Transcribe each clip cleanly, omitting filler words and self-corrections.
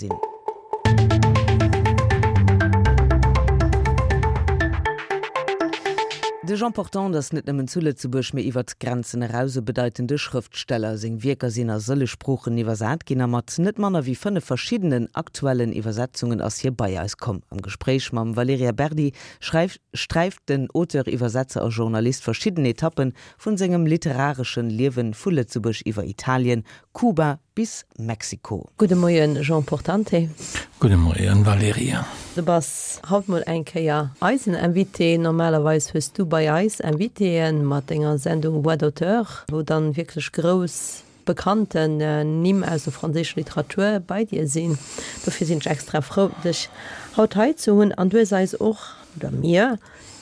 Sinn. De Jean Portante ass net nëmmen zu Lëtzebuerg, mee iwwert d'Grenzen eraus e bedeitende Schrëftsteller. Seng Wierker sinn a sëlleg Sproochen iwwersat ginn a mat net manner wéi 5 verschiddenen aktuellen Iwwersetzungen ass hie bei eis komm. Am Gespréich mam Valerija Berdi sträift den Auteur, Iwwersetzer a Journalist verschidden Etappen vun sengem literareschen Liewen vu Lëtzebuerg iwwer Italien, Kuba bis Mexiko. Gudde Moien Jean Portante. Gudde Moien Valerija. Du bass haut mol eng Kéier eisen Invité. Normalerweis hues du bei eis Invitéen mat denger Sendung Voix d'auteur, wou dann wierklech grouss bekannten Nimm aus der franséischer Literatur bei dir sinn. Dofir sinn ech extra frou dech haut hei ze hunn. An du hues eis och, oder mir,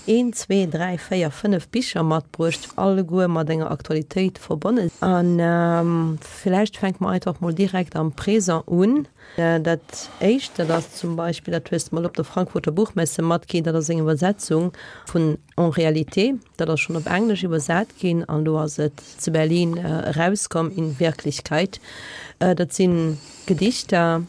Een, zwee, dräi, véier, fënnef Bicher matbruecht, alleguer mat enger Aktualitéit verbonnen. A villäicht fänke mer einfach mol direkt am Présent un. Dat éischt, dat ass zum Beispill, dat hues de mol op der Frankfurter Buchmesse matginn, dat ass eng Iwwersetzung vun En réalité. Dat ass schonn op Englesch iwwersat ginn an elo ass et zu Berlin erauskomm, In Wirklichkeit. Dat si Gedichter.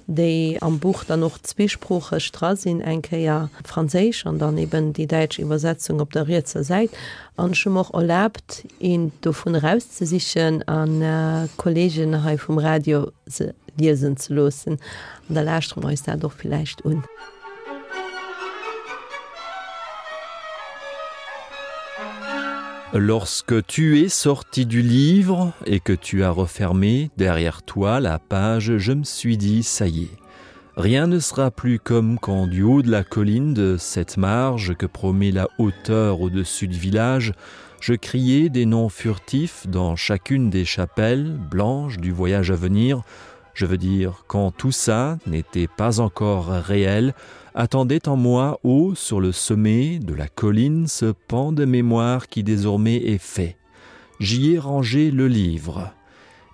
déi am Buch dann och zweesproocheg dra sinn, eng Kéier franséisch an dann eben déi däitsch Iwwersetzung op der rietser Säit. An ech hu mer och erlaabt, eent dovun erauszesichen an d'Kolleegen hei vum Radio se liesen ze loossen. An da lauschtere mer eis dat och villäicht un. Lorsque tu es sorti du livre et que tu as refermé derrière toi la page, je me suis dit ça y est. Rien ne sera plus comme quand du haut de la colline de cette marge que promet la hauteur au-dessus du village, je criais des noms furtifs dans chacune des chapelles blanches du voyage à venir, je veux dire quand tout ça n'était pas encore réel, attendait en moi haut sur le sommet de la colline ce pan de mémoire qui désormais est fait. J'y ai rangé le livre.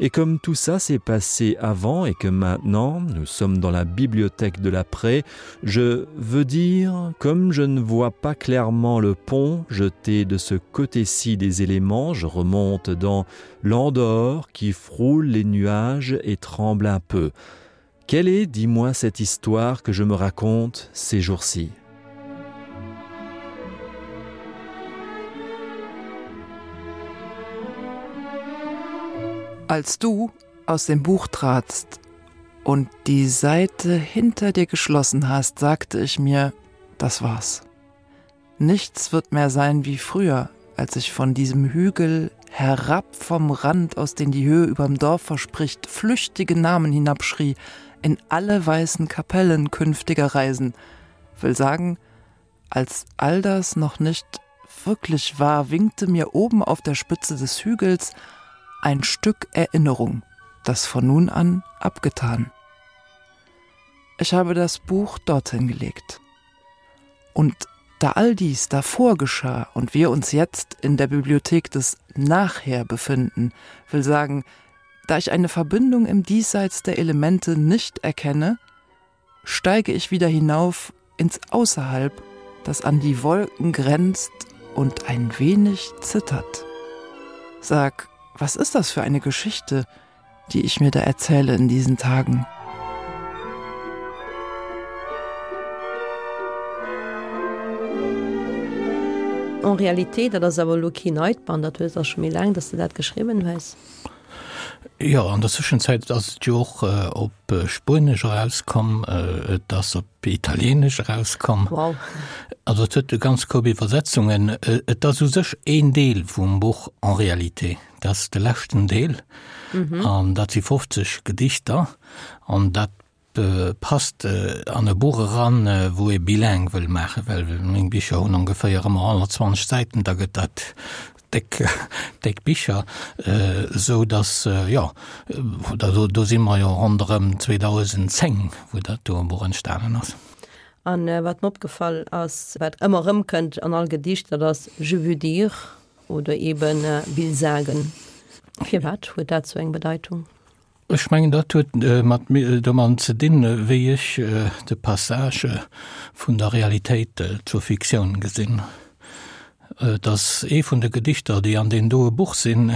Et comme tout ça s'est passé avant et que maintenant nous sommes dans la bibliothèque de l'après, je veux dire, comme je ne vois pas clairement le pont jeté de ce côté-ci des éléments, je remonte dans l'Andorre qui frôle les nuages et tremble un peu. Quelle est, dis-moi cette histoire que je me raconte ces jours-ci? Als du aus dem Buch tratst und die Seite hinter dir geschlossen hast, sagte ich mir, das war's. Nichts wird mehr sein wie früher, als ich von diesem Hügel herab vom Rand, aus den die Höhe überm Dorf verspricht, flüchtige Namen hinabschrie, in alle weißen Kapellen künftiger Reisen, will sagen, als all das noch nicht wirklich war, winkte mir oben auf der Spitze des Hügels ein Stück Erinnerung, das von nun an abgetan. Ich habe das Buch dorthin gelegt. Und da all dies davor geschah und wir uns jetzt in der Bibliothek des Nachher befinden, will sagen, da ich eine Verbindung im Diesseits der Elemente nicht erkenne, steige ich wieder hinauf ins Außerhalb, das an die Wolken grenzt und ein wenig zittert. Sag, was ist das für eine Geschichte, die ich mir da erzähle in diesen Tagen? En réalité, dat ass awer elo keen neit Band, dat hues ass scho méi laang, dass de dat geschriwwen hues. Jo, an der Zwëschenzäit ass et jo och op Spuenesch erauskomm, et ass op Italieenesch erauskomm. Wow. Also et huet e ganz Koup Iwwersetzungen. Et ass u sech een Deel vum Buch En réalité. Dat ass de leschten Deel an dat si 50 Gedichter an dat passt an e Buch eran, wou ee bilingue wëll maachen, well meng Bicher hunn ongeféier ëmmer 120 Säiten, da gëtt dat déck, déck Bicher, esou datt, jo, do, do si mer jo ronderëm 2010, wou dat do Buch entstanen ass. An wat mer opgefall ass, wat ëmmer erëmkënnt an all Gedicht, dat ass je veux dire oder eben will sagen. Firwat huet dat sou eng Bedeitung? Ech mengen, dat huet mat domadden ze dinn, wéi ech de Passage vun der Realitéit zur Fiktioun gesinn. Et ass ee vun de Gedichter, déi an deem doe Buch sinn,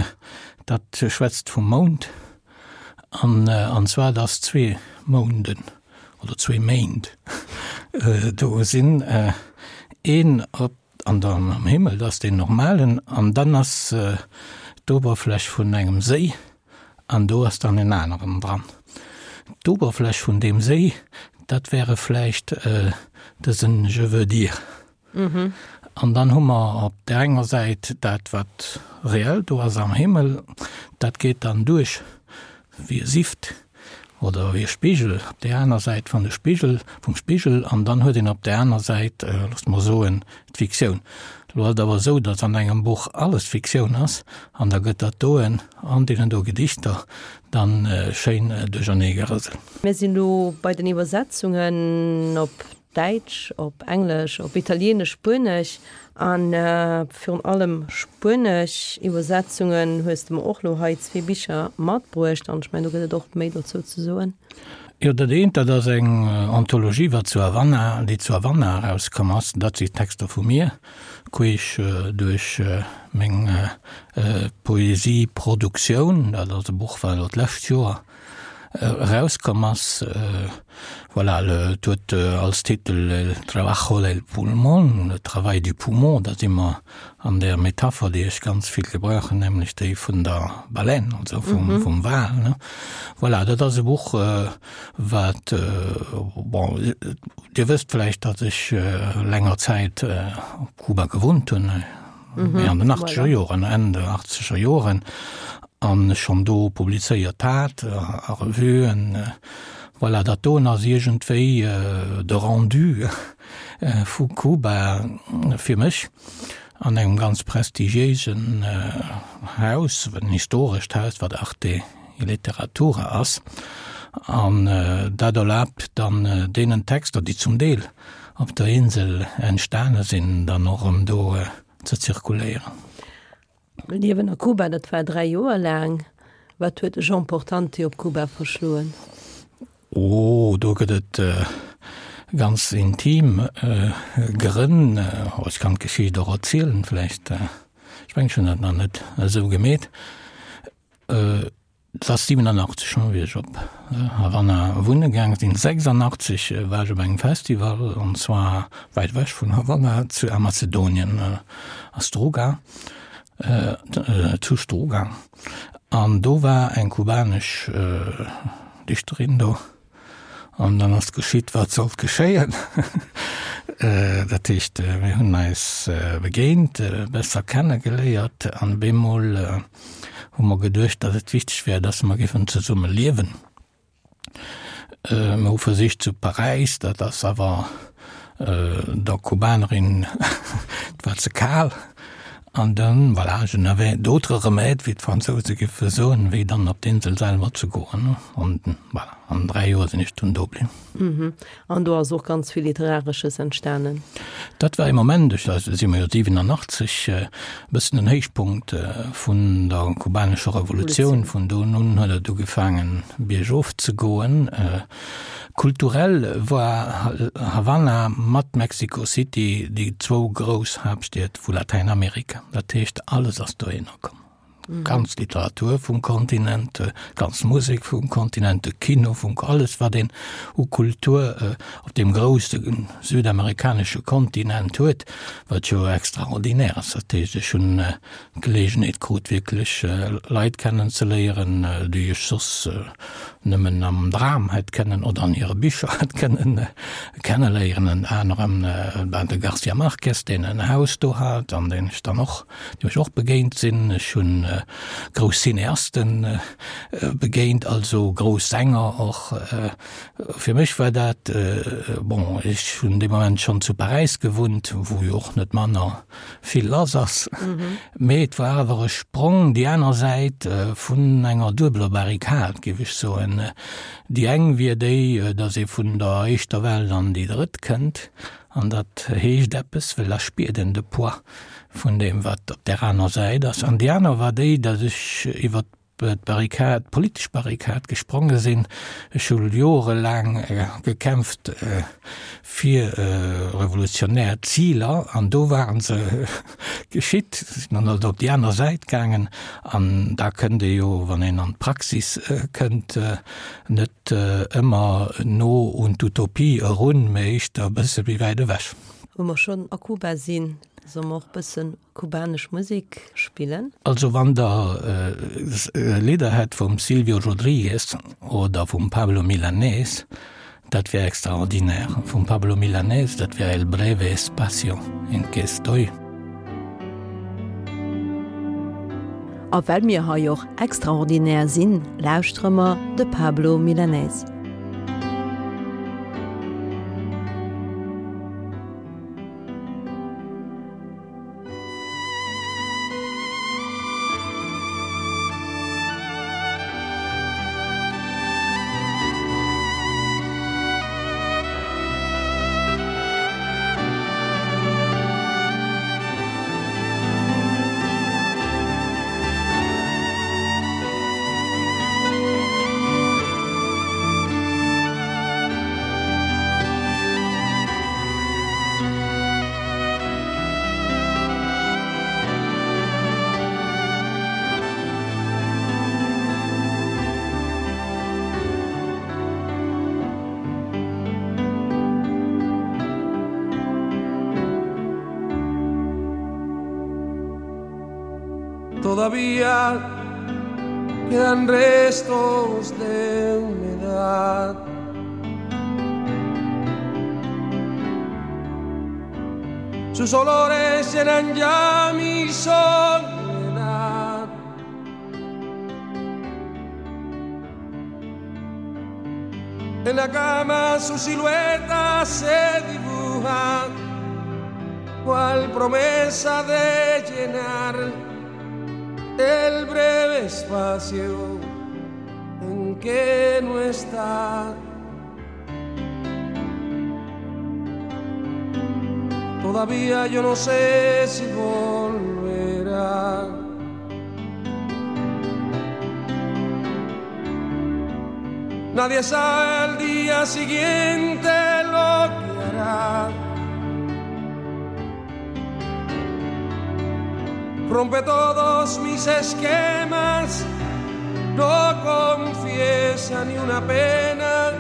dat schwätzt vum Mound. An, an zwar, dass zwee Mounden oder zwee Méint do sinn, een op an der am Himmel, dat ass deen normalen, an dann ass d'Oberfläch vun engem Séi an do ass dann en aneren dran. D'Oberfläch vun deem Séi, dat wäre vläicht dësen Je veux dire. An dann hu mer op där enger Säit dat, wat reell do ass am Himmel, dat geet dann duerch wéi e Sift oder wéi e Spigel op där aner Säit vun de Spigel, vum Spigel, an dann huet een op där aner Säit, loosst mer soen, d'Fiktioun. Elo ass et awer esou, datt an engem Buch alles Fiktioun ass, an da gëtt dat doen an deenen do Gedichter dann schéin duerchernee gerëselt. Mir sinn elo bei den Iwwersetzungen op Däitsch, op Englesch, op Italieenesch, Spuenesch a virun allem spuenesch Iwwersetzungen hues de mer och lo hei zwee Bicher matbruecht an ech mengen do gëtt et och méi dozou ze soen. Jo, dat eent, dat ass eng Anthologie, wat zu Havanna, déi zu Havanna erauskomm ass. Dat si Texter vu mir, queesch duerch meng Poesieproduktioun. Dat ass e Buch, wat elo d'lescht Joer erauskomm ass. Voilà, et huet als Titel El trabajo del pulmón, le travail du poumon. Da si mer an där Metapher, déi ech ganz vill gebrauchen, nämlech déi vun der Baleine, also vum, vum Wal, ne. Voilà, dat ass e Buch, wat, bon, Dir wësst vläicht, datt ech länger Zäit op Kuba gewunnt hunn. Mee an den achtzeger Joren, Enn der achtzeger Joren, an ech schonn do publizéiert hat a Revuen. Voilà, dat doen ass iergendwéi de Rendu vu Kuba fir mech an engem ganz prestigiéisen Haus, en historescht Haus, wat Arte y Literatura ass. An dat erlaabt dann deenen Texter, déi zum Deel op der Insel entstane sinn, dann och erëm do ze zirkuléieren. Liewen a Kuba, dat war 3 Joer laang. Wat huet de Jean Portante op Kuba verschloen? Oh, do gëtt et ganz intim Grënn. Ech kann d'Geschicht och erzielen vläicht. Ech mengen, ech hunn dat nach net esou gemeet. Et ass 87 schonn, wéi ech op Havanna wunne gaange sinn. 86 war ech op engem Festival, an zwar wäit ewech vun Havanna, zu a Mazedonien, a Struga, zu Struga. An do war eng kubanesch Dichterin do. An dann ass geschitt, wat sollt geschéien. Dat heescht, mir hunn eis begéint, besser kennegeléiert an bemol hu mer geduecht, datt et wichteg wär, datt mer géifen zesumme liewen. Mir hu versicht zu Paräis, dat ass awer der Kubanerin, et war ze kal. An dann, voilà, je n'avais d'autre remède, wéi d'Fransouse géife soen, wéi dann op d'Insel selwer ze goen. An voilà, an 3 Joer sinn ech dunn do bliwwen. An do ass och ganz vill Literaresches entstanen. Dat war ee Moment, ech da si mer jo 87, e bëssen den Héichpunkt vun der kubanescher Revolutioun. Vun do un huet et ugefaangen biergof ze goen. Kulturell war Havanna mat Mexico City déi zwou grouss Haaptstied vu Latäinamerika. Dat heescht, alles ass dohinner komm. D'ganz Literatur vum Kontinent, d'ganz Musek vum Kontinent, de Kino vum, alles wat een u Kultur op deem grousse südamerikanesche Kontinent huet, wat jo extraordinär ass. Dat heescht, ech hunn d'Geleegenheet krut wierklech Leit kennen ze léieren, déi ech soss nëmmen am Dram hätt kennen oder an hire Bicher hätt kënnen kenneléieren. Ënner anerem war de Garcia Marquez, deen en Haus do hat an deen ech dann och, deem ech och begéint sinn. Ech hunn grouss Cineasten begéint, also grouss Sänger och. Fir mech war dat, bon, ech hunn dee Moment schonn zu Paräis gewunnt, wou jo och net manner vill lass ass. Mee et war awer e Sprong déi aner Säit vun enger duebeler Barrikad, géif ech soen. Déi eng wier déi, datt ee vun der éischter Welt an déi drëtt kënnt, an dat heescht eppes, well da spiert een de Poids vun deem, wat op där aner Säit ass. An déi aner war déi, datt ech iwwer. d'Barrikad, d'politesch Barrikad gespronge sinn. Ech hu jorelaang gekämpft fir revolutionär Ziler an do ware se geschitt, sinn dann also op déi aner Säit gaangen an da kënnt ee jo, wann een an d'Praxis kënnt, net ëmmer no un d'Utopie erun, mä éischter e bësse méi wäit ewech. Wou mer schonn a Kuba sinn, solle mer och e bëssen kubanesch Musek spillen. Also wann der Lidder hätt vum Silvio Rodriguez oder vum Pablo Milanés, dat wär extraordinaire. Vum Pablo Milanés, dat wär El breve espacio en que estoy. A well mir hei och extraordinaire sinn, lauschtere mer de Pablo Milanés. Todavía quedan restos de humedad. Sus olores llenan ya mi soledad. En la cama su silueta se dibuja, cual promesa de llenar el breve espacio en que no está. Todavía yo no sé si volverá. Nadie sabe el día siguiente lo que hará. Rompe todos mis esquemas, no confiesa ni una pena,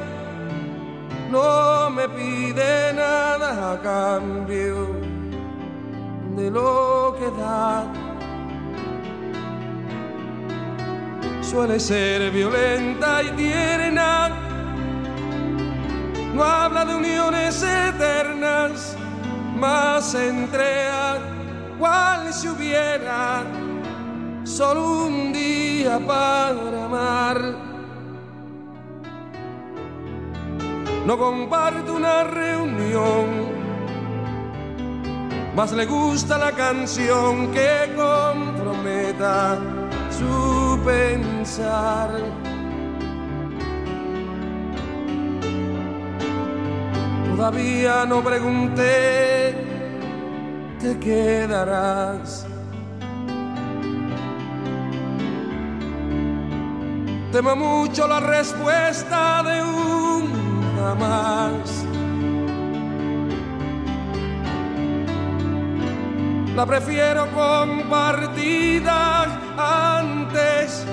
no me pide nada a cambio de lo que da. Suele ser violenta y tierna, no habla de uniones eternas, mas entrega cual si hubiera solo un día para amar. No comparto una reunión, mas le gusta la canción que comprometa su pensar. Todavía no pregunté, te quedarás. Temo mucho la respuesta de un jamás. La prefiero compartida antes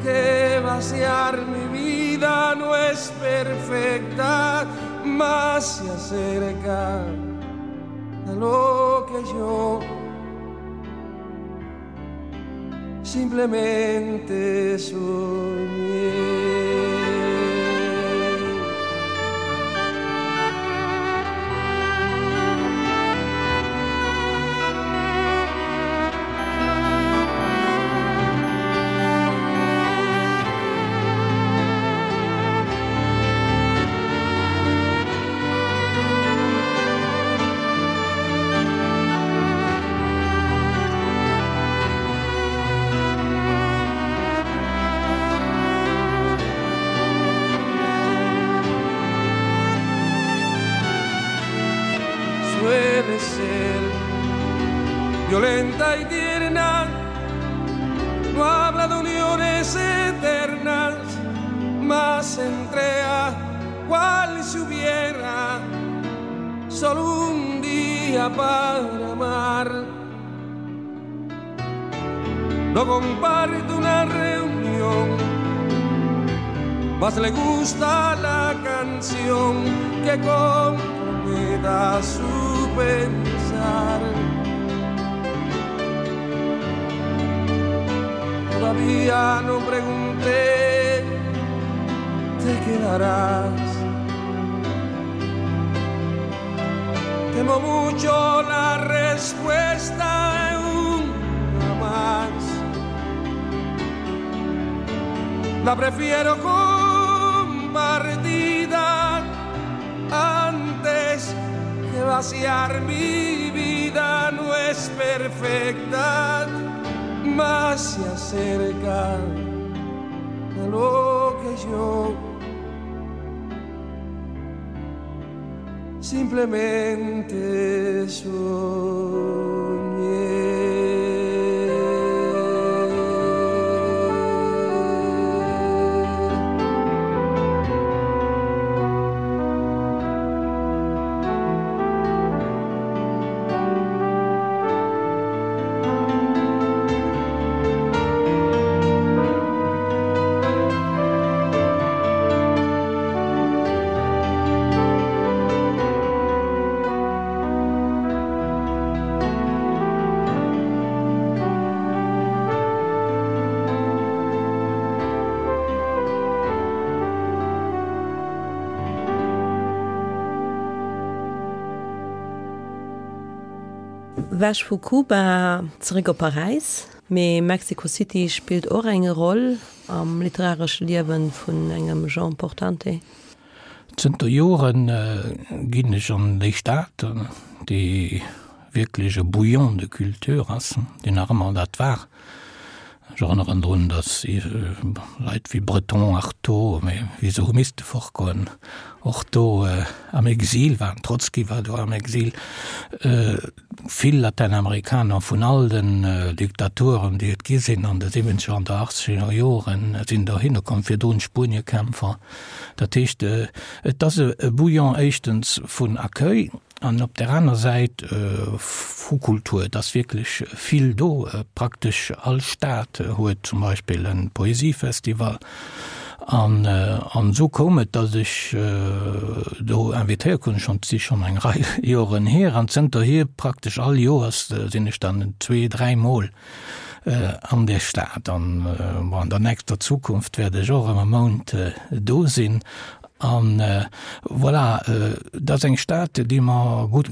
que vaciar mi vida. No es perfecta, más se acerca a lo que yo simplemente soñé. Suele ser violenta y tierna, no habla. buscado uniones eternas, mas entrega cual si hubiera solo un día para amar. No comparto una reunión, mas le gusta la canción que comprometa su pensar. Todavía no pregunté, te quedarás. Temo mucho la respuesta de una más. La prefiero compartida antes que vaciar mi vida. No es perfecta, más se acerca a lo que yo simplemente soñé. Ewech vu Kuba, zeréck op Paräis. Mee Mexico City spillt och eng Roll am literaresche Liewe vun engem Jean Portante. Zënter Joren ginn ech an déi Stad, déi wierklech e Bouillon de culture ass, déi nach ëmmer dat war. Ech erënneren drun, datt Leit wéi Breton, Artaud, mee wéi se hu misste fortgoen, och do am Exil waren. Trotzki war do am Exil. Vill Latäinamerikaner vun all den Diktaturen, déi et gi sinn an de siwwenzeger an der achtzeger Joren, sinn dohinner komm, virdrun d'Spueniekämpfer. Dat heescht, et ass e Bouillon éischtens vun Accueil an op där aner Säit vu Kultur. Et ass wierklech vill do. Praktesch all Stad huet zum Beispill e Poesiefestival. An esou koum et, datt ech do invitéiert krut, schonn, et si schonn eng Rei Joren hier, an zënterhier praktesch all Joers sinn ech dann zwee, dräimol an där Stad. An bon, an der nächster Zukunft wäert ech och ëm e Mount do sinn. An voilà, et ass eng Stad, déi mer gutt,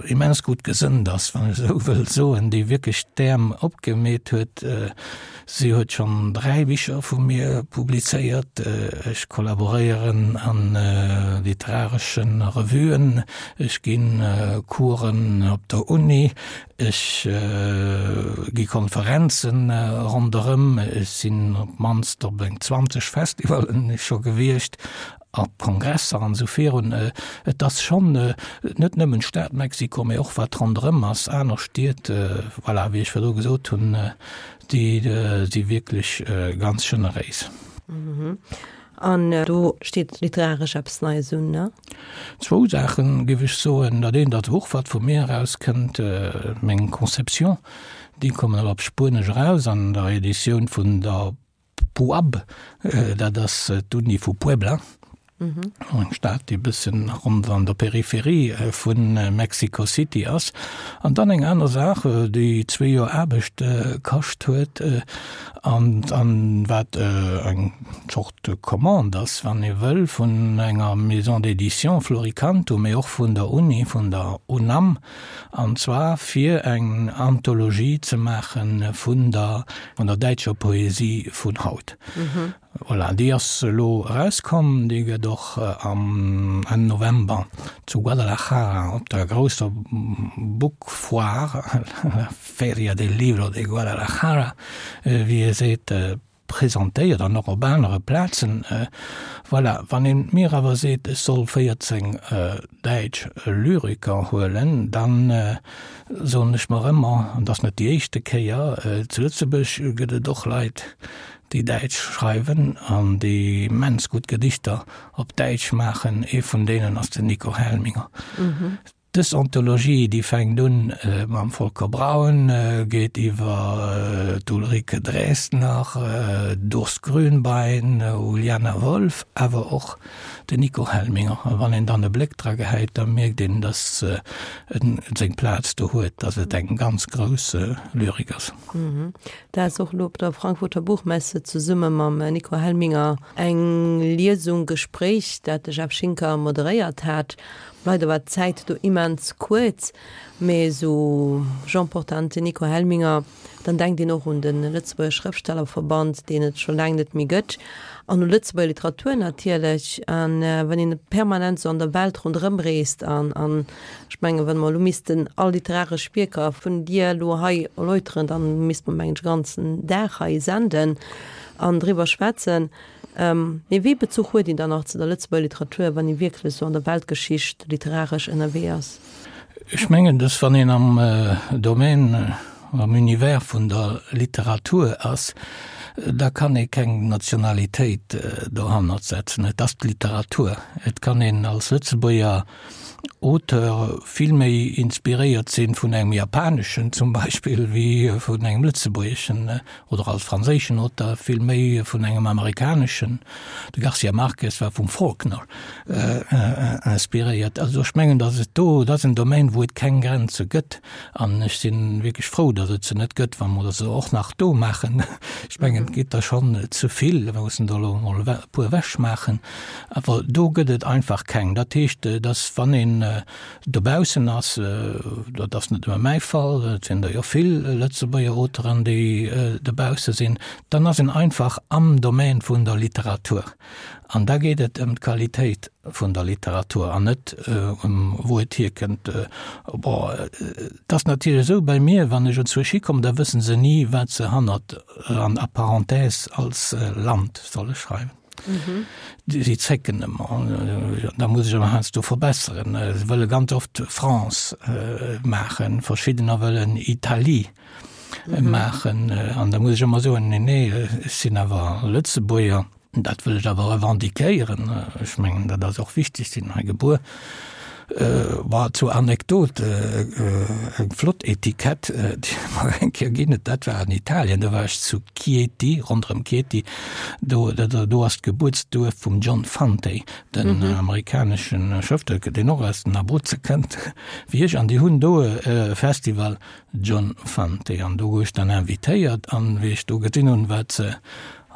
immens gutt gesënnt ass, wann ech esou wëll soen, déi wierklech d'Äerm opgemeet huet. Si huet schonn 3 Bicher vu mir publizéiert. Ech kollaboréieren a literaresche Revuen, ech gi Coursen op der Uni, ech gi Konferenze ronderëm, ech sinn op d'mannst op eng 20 Festivallen scho gewiescht, op Kongresser an esou virun. Et ass schonn net nëmmen d'Stad Mexiko, mee och wat ronderëm ass, aner Stied, voilà, wéi ech virdru gesot hunn, Déi si wierklech ganz generéis. An do steet literaresch eppes Neies un, ne? Zwou Saachen, géif ech soen. Dat eent ass e Buch, wat vu mir erauskënnt, meng Conception. Déi kommen elo op Spuenesch eraus an der Editioun vun der PUAB, dat ass d'Uni vu Puebla. Eng Stad, déi e bëssen ronn an der Peripherie vu Mexico City ass. An dann eng aner Saach, déi zwee Joer Aarbecht kascht huet an an wat eng Zort Commande ass, wann ee wëll, vun enger Maison d'édition, Floricanto, mee och vun der Uni, vun der UNAM, an zwar fir eng Anthologie ze maache vun der vun der däitscher Poesie vun haut. Voilà, déi ass elo erauskomm. Déi gëtt och am Enn November zu Guadalajara op der grousser Book Foire, la Feria del Libro de Guadalajara, wéi ee seet, presentéiert an och op anere Plazen. Voilà, wann een mir awer seet, ech soll 14 däitsch Lyriker huelen, dann soen ech mer ëmmer, an dat ass net déi éischte Kéier, zu Lëtzebuerg gëtt et och Leit, déi Däitsch schreiwen an déi immens gutt Gedichter op Däitsch maachen. Ee vun deenen ass den Nico Helminger. Dës Anthologie, déi fänkt un mam Volker Braun, geet iwwer d'Ulrike Draesner, d'Urs Grünbein, Uljana Wolf, awer och den Nico Helminger. A wann een dann e Bléck dra gehäit, da mierkt een, datt en seng Plaz do huet, datt et eng ganz grouss Lyrik ass. Dat ass och elo op der Frankfurter Buchmesse zesumme mam Nico Helminger eng Liesung, Gespréich, dat de Jeff Schinker moderéiert hat. Leider war d'Zäit do immens kuerz, mee esou Jean Portante, Nico Helminger, dann denkt een och un de Lëtzebuerger Schrëftstellerverband, deen et scho laang net méi gëtt, an u Lëtzebuerger Literatur natierlech. A wann een permanent esou an der Welt ronderëm reest an, an ech mengen, wa mer elo missten all literaresch Wierker vun dir elo hei erläuteren, da misste mer, mengen ech, e ganzen Dag hei senden an driwwer schwätzen. Mee wéi Bezuch huet een dann nach zu der Lëtzebuerger Literatur, wann ee wierklech esou an der Weltgeschicht literaresch ënnerwee ass? Ech mengen, dass wann een am Domaine, am Univers vun der Literatur ass, da kann ee keng Nationalitéit dohannert setzen. Et ass d'Literatur. Et kann een als Lëtzebuerger Auteur vill méi inspiréiert sinn vun engem japaneschen zum Beispill wéi vun engem lëtzebuergeschen oder als franséischen Auteur vill méi vun engem amerikaneschen. De Garcia Marquez war vum Faulkner inspiréiert. Also ech mengen, datt et do, dat ass en Domaine, wou et keng Grenze gëtt an ech si wierklech frou, datt et se net gëtt, wa mer se och nach do maachen. Ech mengen, et gétt der schonn ze vill, mir mussen der elo emol e puer ewechmaachen. Awer do gëtt et einfach keng. Dat heescht, datt wann een dobaussen ass, dat ass net nëmme mäi Fall, et sinn der jo vill Lëtzebuerger Auteuren, déi dobausse sinn, dann ass een einfach am Domaine vun der Literatur. An da geet et ëm d'Qualitéit vun der Literatur an net ëm wou et hierkënnt. Bon, et ass natierlech esou bei mir, wann ech enzwousch hikommen, da wësse se ni, wat se hannert an a Parenthèse als Land solle schreiwen. Si zécken ëmmer, da muss ech ëmmer heiansdo verbesseren. Se wëlle ganz oft France maachen, verschiddener wëllen Italie maachen. An da muss ech ëmmer soen, nee, nee, ech sinn awer Lëtzebuerger. Dat wëll ech awer revendiquéieren. Ech mengen, dat ass och wichteg, sinn hei gebuer. Bon, zur Anekdot, eng flott Etikett, déi mer eng Kéier ginn huet, dat war an Italien, do war ech zu Chieti, ronderëm Chieti, do, do ass d'Gebuertsduerf vum John Fante, den amerikanesche Schrëftsteller, deen och aus den Abruzze kënnt, wéi ech, an déi hunn do e Festival John Fante, an do gouf ech dann invitéiert, an wéi ech do gesinn hunn, wat se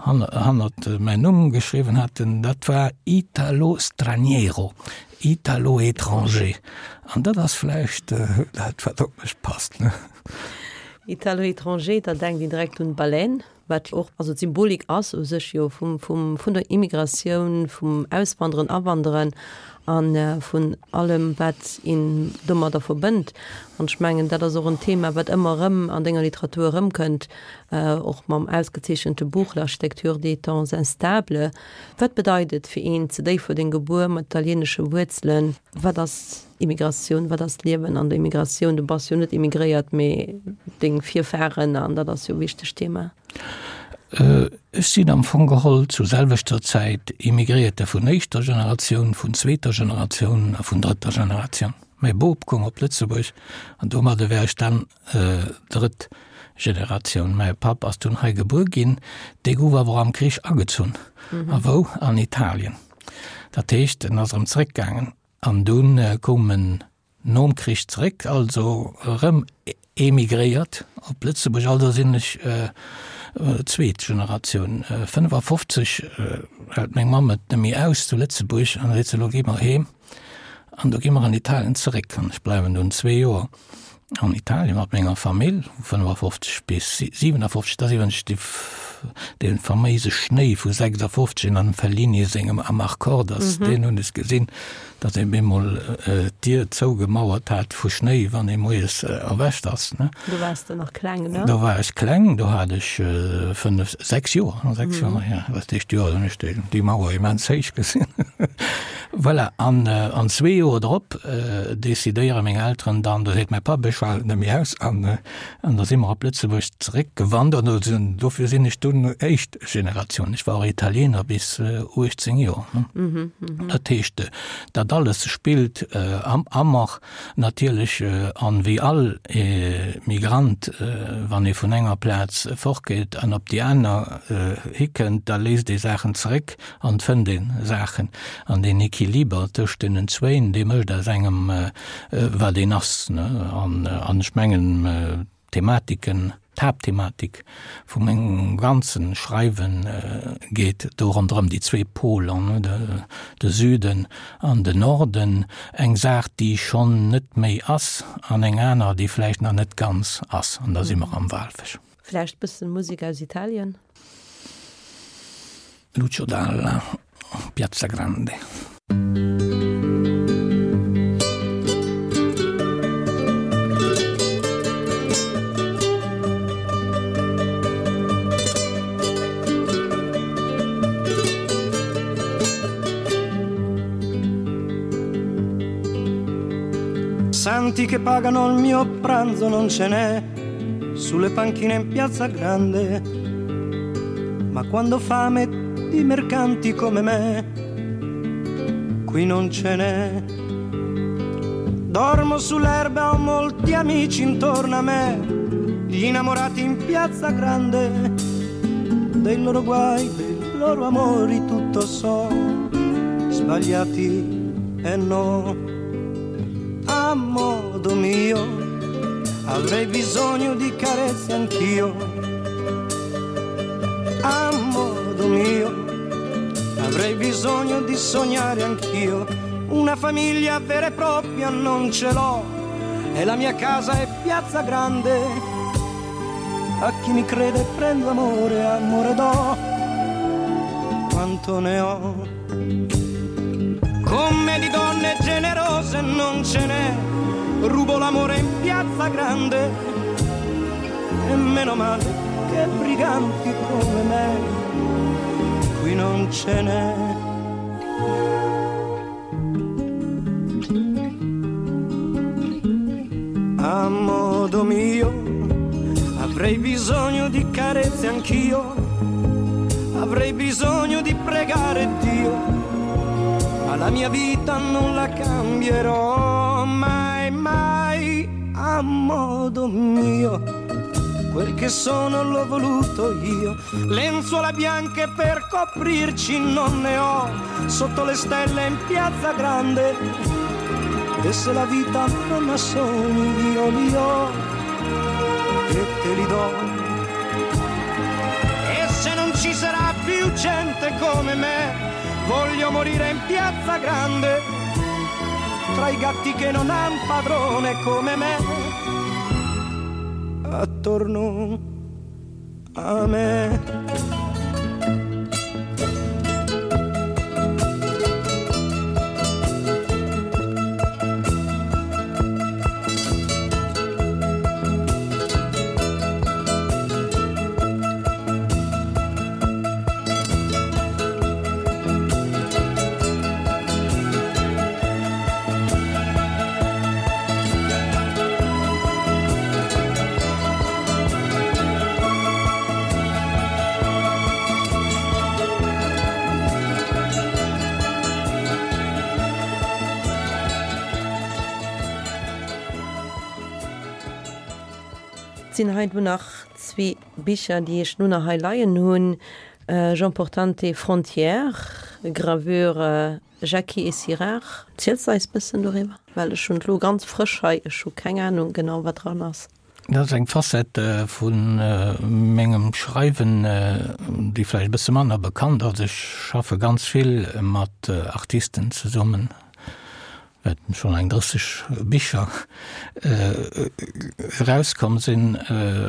hannert mäin Numm geschriwwen haten, dat war Italo Straniero, Italo Étranger. An dat ass vläicht dat, wat op mech passt, ne? Italo Étranger, da denkt een direkt un d'Baleine, wat och, also d'Symbolik ass u sech jo vum, vum, vun der Immigratioun, vum Auswanderen, Awanderen a vun allem, wat een domadder verbënnt. An ech mengen, dat ass och en Thema, wat ëmmer erëm an denger Literatur erëmkënnt, och mam ausgezeechente Buch L'architecture des temps instables. Wat bedeit et fir een zu Déifferdeng gebuer mat italieenesche Wuerzelen? Wat ass Immigratioun? Wat ass d'Liewen an der Immigratioun? Du bass jo net immigréiert, mee deng Virfahren, an dat ass jo e wichtegt Thema. Ech sinn am Fong geholl zur selwechter Zäit Immigréierte vun éischter Generatioun, vun zweeter Generatioun a vun drëtter Generatioun. Mäi Bop koum op Lëtzebuerg an domadde war ech dann Drëtt Generatioun. Mäi Papp ass dunn hei gebuer ginn, dee gouf awer am Krich agezunn. A wou? An Italien. Dat heescht, en ass erëm zeréckgaangen an dunn koum en nom Krich zeréck, also erëm emigréiert op Lëtzebuerg. Also sinn ech zweet Generatioun. 55 hält meng Mamm et net méi aus zu Lëtzebuerg an da seet se, elo gi mer heem. An do gi mer an Italien zeréck an ech bleiwen dunn zwee Joer an Italien mat menger Famill, 55 bis 57, dat ass iwwregens déi. Dee faméise Schnéi vu 56 an dem Fellini sengem Amarcord ass, deen hunn ech gesinn, datt een bemol d'Dier zougemauert hat vu Schnéi, wann ee moies erwächt ass. Do waars de nach kleng, ne? Do war ech kleng, do hat ech fënnef, sechs Joer, sechs Joer, jo. Dat éischt Joer hunn ech déi Mauer immens héich gesinn. Voilà, an zwee Joer drop decidéiere meng Elteren dann, do seet mäi Papp, ech halen net méi aus, an da si mer op Lëtzebuerg zeréckgewandert. Dofir sinn ech dunn éischt Generatioun. Ech war och Italiener bis 18 Joer. Dat heescht, dat alles spillt am Ammer natierlech an wéi all Migrant, wann ee vun enger Plaz fortgeet an op déi aner hikënnt, da léisst ee Saachen zeréck an fënnt ee Saachen. An deen Equiliber tëscht deenen zwéin, dee mécht aus engem wat een ass. An ech mengen, d'Thematiken, d'Haaptthematik vu mengem ganze Schreiwe geet do ronderëm déi zwee Poler, de Süden an den Norden, eng Saach, déi schonn net méi ass, an eng aner, déi vläicht nach net ganz ass. An da si mer am Walfësch. Vläicht bëssen Musek aus Italien? Lucio Dalla, Piazza Grande. Santi che pagano il mio pranzo non ce n'è sulle panchine in piazza grande. Ma quando fame di mercanti come me, qui non ce n'è. Dormo sull'erba, ho molti amici intorno a me, gli innamorati in piazza grande, dei loro guai, dei loro amori tutto so, sbagliati e no. A modo mio avrei bisogno di carezze anch'io. A modo mio avrei bisogno di sognare anch'io. Una famiglia vera e propria non ce l'ho e la mia casa è piazza grande. A chi mi crede prendo amore, amore do quanto ne ho. Come di donne generose non ce n'è, rubo l'amore in piazza grande. E meno male che briganti come me, qui non ce n'è. A modo mio avrei bisogno di carezze anch'io, avrei bisogno di pregare Dio, ma la mia vita non la cambierò mai, mai a modo mio. Quel che sono l'ho voluto io, lenzuola bianche per coprirci non ne ho, sotto le stelle in piazza grande. E se la vita non ha sogni io li ho e te li do. E se non ci sarà più gente come me, voglio morire in piazza grande, tra i gatti che non han padrone come me, attorno a me. Et sinn hei do nach zwee Bicher, déi ech lo nach hei leien hunn, Jean Portante, Frontières, Gravure Jackie et Sirard. Ziels de eis bëssen doriwwer? Well ech hunn et lo ganz frësch hei, ech hu keng Anung genau wat dran ass. Dat ass eng Facette vu mengem Schreiwen, déi vläicht e bësse manner bekannt ass. Ech schaffe ganz vill mat Artisten zesummen. wäerten schonn eng 30 Bicher erauskomm sinn.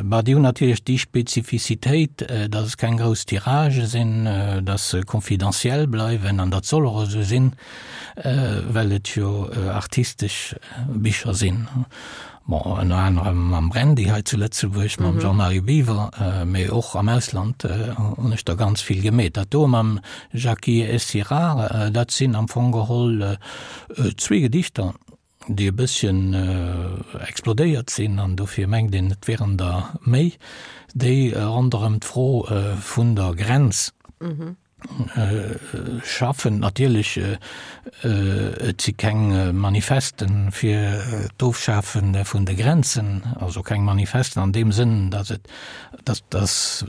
Bah, déi hunn natierlech déi Spezifizitéit, datt et keng grouss Tiragë sinn, datt se confidentiel bleiwen, an dat soll och esou sinn, well et jo artistesch Bicher sinn. Bon, ënner anerem mam Brandy hei zu Lëtzebuerg, mam Jean-Marie Biwer, mee och am Ausland hunn ech der ganz vill gemeet. Dat do mam Jackie Essirard, dat sinn am Fong geholl zwee Gedichter, déi e bësschen explodéiert sinn, an dofir mengt een, et wieren der méi, déi ronderëm d'Fro vun der Grenz schaffen. Natierlech, et si keng Manifesten fir d'Ofschafe vun de Grenzen, also keng Manifesten an deem Sënn, datt et, datt, datt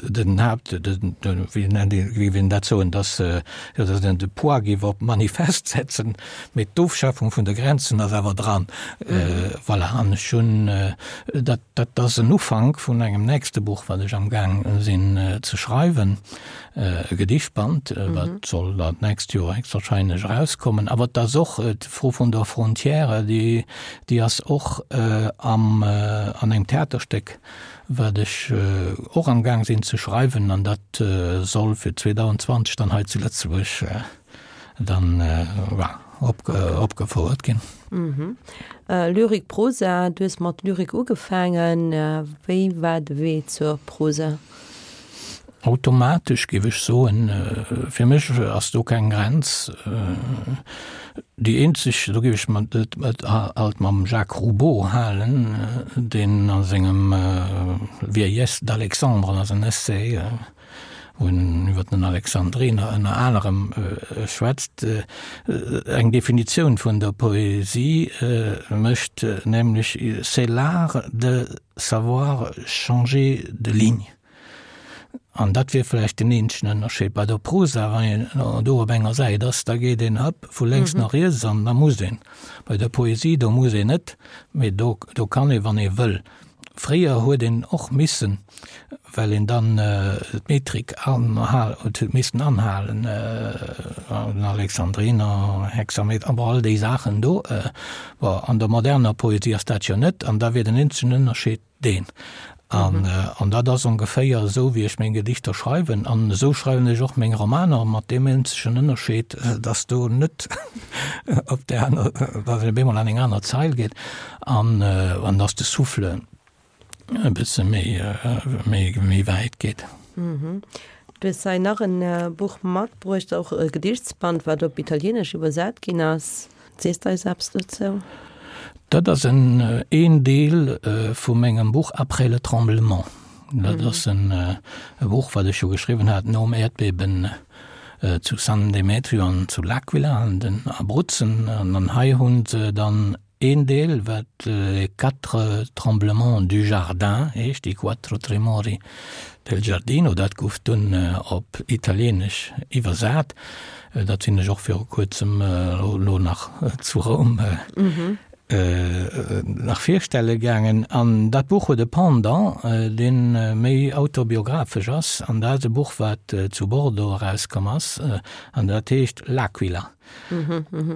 den Haapt, wéi nennt een, wéi géif een dat soen, datt, jo, datt een de Poids géif op Manifest setzen, mee d'Ofschafung vun de Grenzen ass awer dran. Voilà, an ech hunn dat, Dat ass en Ufank vun engem nächste Buch, wat ech amgaang sinn ze schreiwen, e Gedichtband, wat soll dat nächst Joer héchstwahrscheinlech erauskommen. Awer et ass och d'Fro vun der Frontière, déi, déi ass och am, an engem Theaterstéck, wat ech och amgaang sinn ze schreiwen, an dat soll fir 2020 dann hei zu Lëtzebuerg dann opgefouert ginn. Lyrik, Prosa, du hues mat Lyrik ugefaangen. Wéi war de Wee zur Prosa? Automatesch, géif ech soen. Fir mech ass do keng Grenz. Déi eenzeg, do géif ech et alt mam Jacques Roubaud halen, deen a sengem Vieillesse d'Alexandre, dat ass en Essai, wou en iwwer den Alexandriner ënner anerem schwätzt, eng Definitioun vun der Poesie mécht, nämlech C'est l'art de savoir changer de ligne. An dat wier vläicht den eenzegen Ënnerscheed. Bei der Prosa, wann een do op enger Säit ass, da geet een hëpp vu lénks no riets an da muss een. Bei der Poesie, do muss een net, mee do kann ee wann ee wëll. Fréier huet een och missen, well een dann d'Metrik huet missen anhalen, den Alexandriner Hexameter, bon all déi Saachen do. Bon, an der moderner Poesie ass dat jo net, an da wier den eenzegen Ënnerscheed deen. An, an dat ass ongeféier esou, wéi ech meng Gedichter schreiwen. An esou schreiwen ech och meng Romaner, mat deem eenzegen Ënnerscheed, datt do net op där aner, datt een op eemol an eng aner Zeil geet. An an dass de Souffle e bësse méi méi méi wäit geet. Du hues hei nach en Buch matbruecht, och e Gedichtsband, wat op Italieenesch iwwersat ginn ass. Sees de eis eppes dozou? Dat ass en een Deel vu mengem Buch Après le tremblement. Dat ass en e Buch, wat ech jo geschriwwen hat nom Äerdbeben zu San Demetrio an zu L'Aquila an den Abruzzen. An hei hunn se dann Een Deel, wat Les quatre tremblements du jardin heescht, I quattro tremori del giardino, dat gouf dunn op Italieenesch iwwersat. Dat sinn ech och viru kuerzem elo nach zu Roum nach virstelle gaangen. An dat Buch huet e Pendant, dee méi autobiographesch ass, an dat ass e Buch, wat zu Bordeaux erauskomm ass, an dat heescht L'Aquila.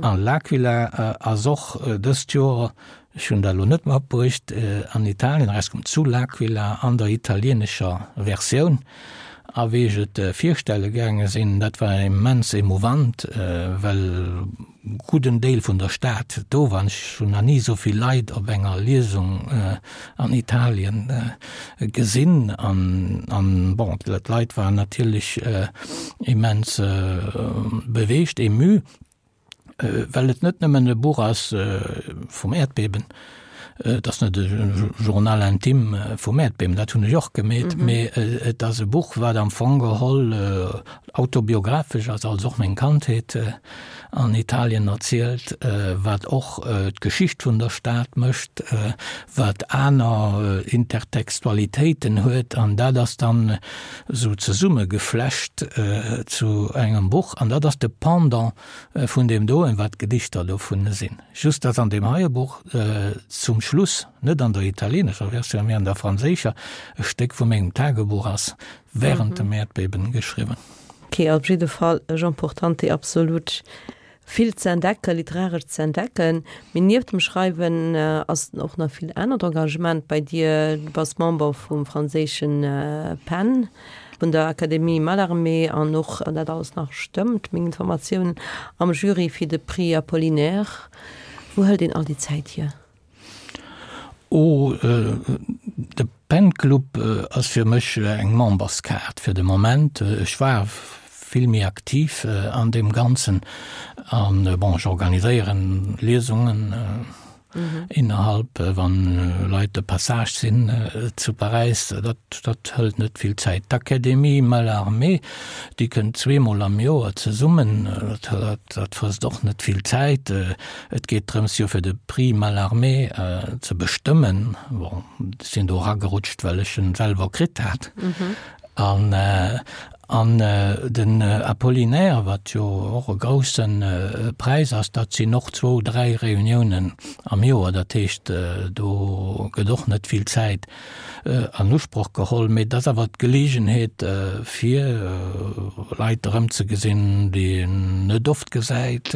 An L'Aquila ass och dëst Joer, ech hunn dat elo net matbruecht, an Italien erauskomm, zu L'Aquila an der italieenescher Versioun. A wéi ech et virstelle gaange sinn, dat war immens emouvant, well gudden Deel vun der Stad do war. Ech hunn nach ni esou vill Leit op enger Liesung an Italien gesinn. An bon, d'Leit waren natierlech immens beweegt, ému, well et net nëmmen e Buch ass vum Äerdbeben, et ass net e Journal intime vum Äerdbeben, dat hunn ech och gemeet, mee et ass e Buch, wat am Fong geholl autobiographesch ass, also och meng Kandheet an Italien erzielt, wat och d'Geschicht vun der Stad mécht, wat aner Intertextualitéiten huet, an dat ass dann esou zesummegeflecht zu engem Buch, an dat ass de Pendant vun deem doen, wat d'Gedichter dovun sinn. Just datt an deem heie Buch zum Schluss, net an der italienescher Versioun, mee an der franséischer, e Stéck vu mengem Tagebuch ass, während dem Äerdbeben geschriwwen. Ok, op jidde Fall e Jean Portante absolut. Vill ze entdecken, literaresch ze entdecken. Mee nieft dem Schreiwen ass och nach vill anert Engagement bei dir. Du bass Member vum franséischen PEN, vun der Académie Mallarmé an och, wann dat alles nach stëmmt, meng Informatiounen, am Jury fir de Prix Apollinaire. Wou hëlt een all déi Zäit hier? Oh, de PEN-Club ass fir mech eng Memberskaart fir de Moment. Ech war vill méi aktiv an deem Ganzen an bon, ech organiséieren Liesungen innerhalb, wann Leit de Passage sinn zu Paräis. Dat, dat hëlt net vill Zäit. D'Académie Mallarmé, déi kënnt zweemol am Joer zesummen. Dat, dat frësst och net vill Zäit. Et geet drëms jo fir de Prix Mallarmé ze bestëmmen. Bon, ech sinn do eragerutscht, well ech en selwer kritt hat. An, an den Apollinaire, wat jo och e grousse Präis ass, dat sinn och zwou, dräi Reuniounen am Joer. Dat heescht, do gëtt och net vill Zäit an Usproch geholl, mee et ass awer d'Geleegenheet fir Leit erëmzegesinn, déi een net oft gesäit.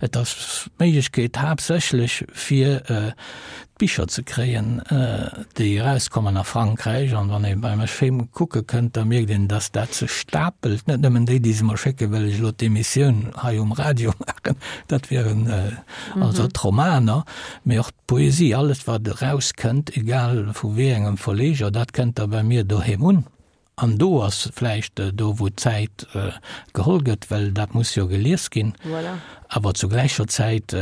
Et ass d'Méiglechkeet haaptsächlech fir d'Bicher ze kréien, déi erauskommen a Frankräich. An wann ee bei mech heem kucke kënnt, da mierkt een, datt dat sech stapelt. Net nëmmen déi, déi se mer schécken, well ech elo d'Emissioun hei um Radio maachen, dat wieren also d'Romaner, mee och D'Poesie, alles wat erauskënnt, egal vu wéi engem Verleger, dat kënnt da bei mir doheem un. An do ass vläicht do, wou d'Zäit geholl gëtt, well dat muss jo gelies ginn. Awer zu gläicher Zäit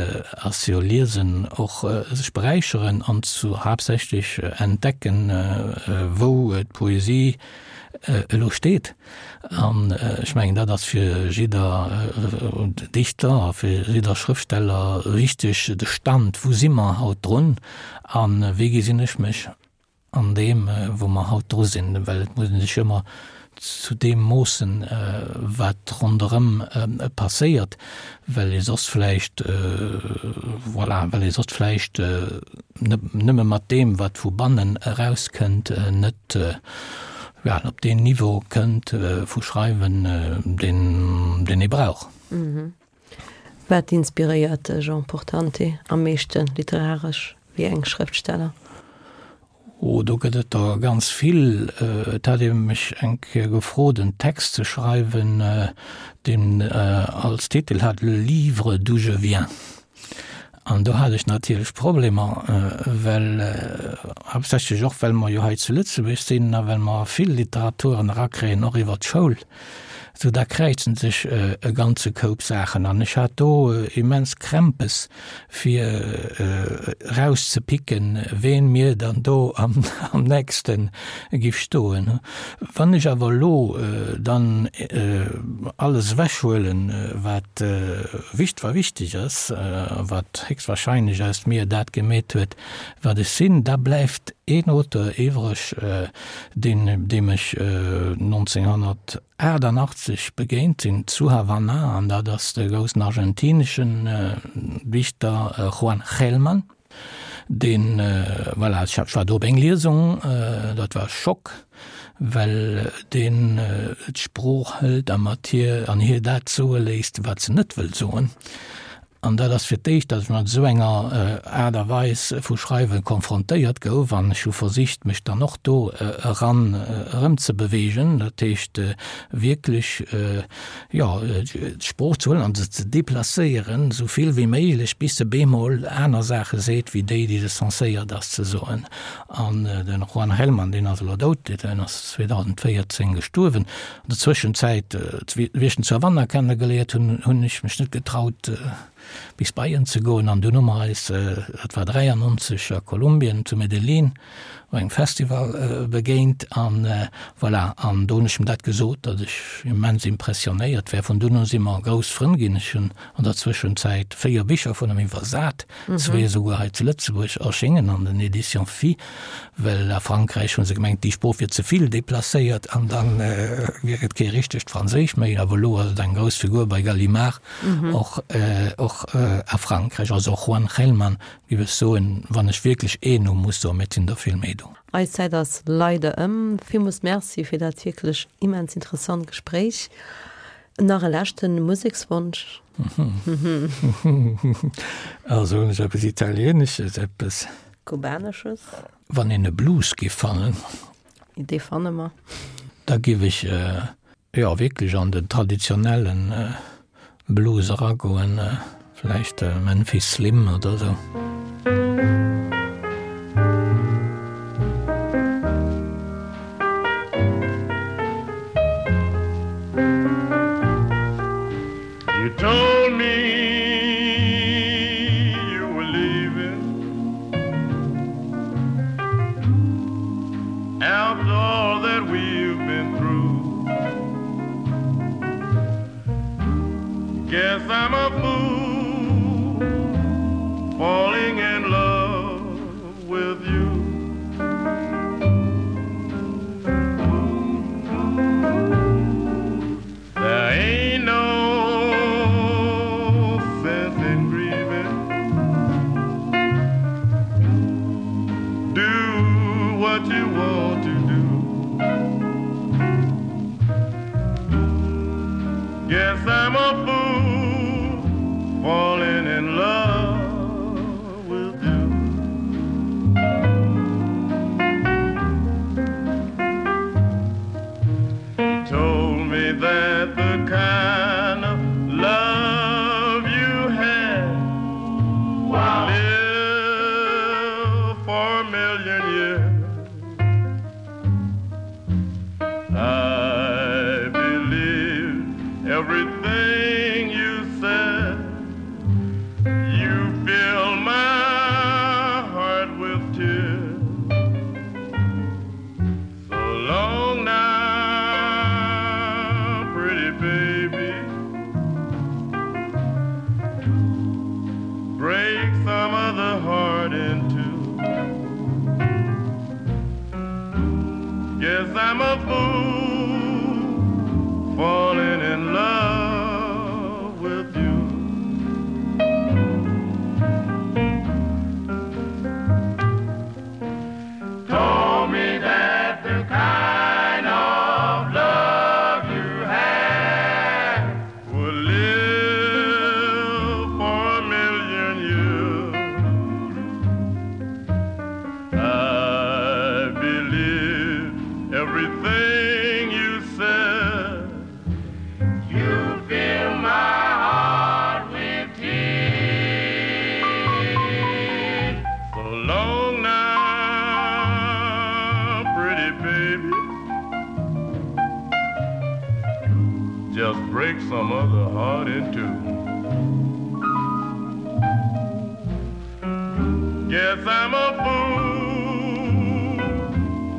ass jo Liesen och sech beräicheren an zu haaptsächlech entdecken, wou d'Poesie elo steet. An ech mengen, dat ass fir jidder Dichter a fir jidder Schrëftsteller wichteg, de Stand, wou si mer haut drun a wéi gesinn ech mech an deem, wou mer haut dru sinn. Well et muss ee sech ëmmer zu deem moossen, wat ronderëm passéiert, well ee soss vläicht, voilà, well ee soss vläicht nëmme mat deem, wat vu bannen erauskënnt, net, ja, op deen Niveau kënnt vu Schreiwen, deen, deen ee brauch. Wat inspiréiert de Jean Portante am meeschten literaresch? Wéi eng Schrëftsteller? Oh, do gëtt et der ganz vill. Et hat ee mech eng Kéier gefrot, en Text ze schreiwen, deen als Titel hat Le livre d'où je viens. An do hat ech natierlech Problemer, well, haaptsächlech och well mer jo hei zu Lëtzebuerg sinn a well mer vill Literaturen erakréien, och iwwer d'Schoul, sou da kräizen sech e ganze Koup Saachen. An ech hat do immens Krämpes, fir erauszepicken, ween mir dann do am nächste giff stoen. Wann ech awer elo dann alles ewechhuelen, wat wicht war wichteg ass, wat héchstwahrscheinlech aus mir dat gemeet huet, wat ech sinn, da bleift een Auteur iwwreg, deen, deem ech 1988 begéint sinn zu Havanna, an dat ass de groussen argentineschen Dichter Juan Gelman. Deen, voilà, ech war do op eng Liesung, dat war e Schock, well deen d'Sprooch hëlt a mat hir an hir dat soe léisst, wat se net wëll soen. An dat ass fir d'éischt, datt ech mat esou enger Aart a Weis vu Schreiwe konfrontéiert gouf. An ech hu versicht, mech dann och do eran erëmzebeweegen, dat heescht wierklech, jo, d'Sprooch ze huelen an se ze deplacéieren, esou vill wéi méiglech, bis se bemol aner Saache seet wéi déi, déi se censéiert ass ze soen. An de Juan Gelman, deen ass elo dout, deen ass 2014 gestuerwen. An der Zwëschenzäit, wéi ech en zu Havanna kennegeléiert hunn, hunn ech mech net getraut, bis bei en ze goen. An dunn hu mer eis, dat war 93 a Kolumbien, zu Medellín, op engem Festival begéint. An voilà, an do hunn ech em dat gesot, datt ech immens impressionéiert war. Vun dunn u si mer grouss Frënn ginn. Ech hunn an der Zwëschenzäit 4 Bicher vun em iwwersat, zwee esouguer hei zu Lëtzebuerg erschéngen an den Éditions Phi, well a Frankräich hu se gemengt, déi Sprooch wier ze vill deplacéiert an da wier et kee richtegt Franséisch méi. Awer elo ass et eng grouss Figur bei Gallimard, och och a Frankräich. Also och Juan Gelman, géif ech soen, wann ech wierklech een Numm muss soen, mee et sinn der vill méi do. Eis Zäit ass leider ëm. Villmools Merci fir dat wierklech immens interessant Gespréich. Nach e leschte Musekswonsch? Also hunn ech eppes Italienesches, eppes. Kubanesches. Wann een e Blues giff fannen. Dee fanne mer. Da giff ech jo wierklech an den traditionellen Blues eragoen, vläicht Memphis Slim oder sou. You told me you were leaving After all that we've been through Guess I'm a fool Falling in love with you There ain't no sense in grieving Do what you want to do Guess I'm a fool falling in love with you You told me that the kind of love you had wow. live for a million years I believe everything you said You fill my heart with tears So long now, pretty baby Break some other heart in two Guess I'm a fool falling in love with you Told me that the kind of love you had would live for a million years I believe everything you said You fill my heart with tears So long now, pretty baby Just break some other heart in two Guess I'm a fool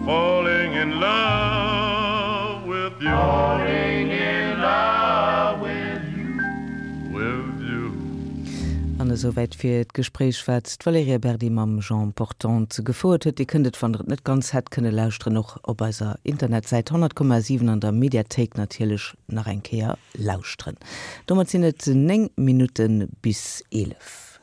falling in love with you falling in love with you with you An esouwäit fir d'Gespréich, wat d'Valerija Berdi mam Jean Portante gefouert huet. Dir kënnt et, wann der et net ganz hätt kënne lauschteren, och op eiser Internetsäit 100,7 an der Mediathéik natierlech nach eng Kéier lauschteren. Domat sinn et 9 Minutte bis 11.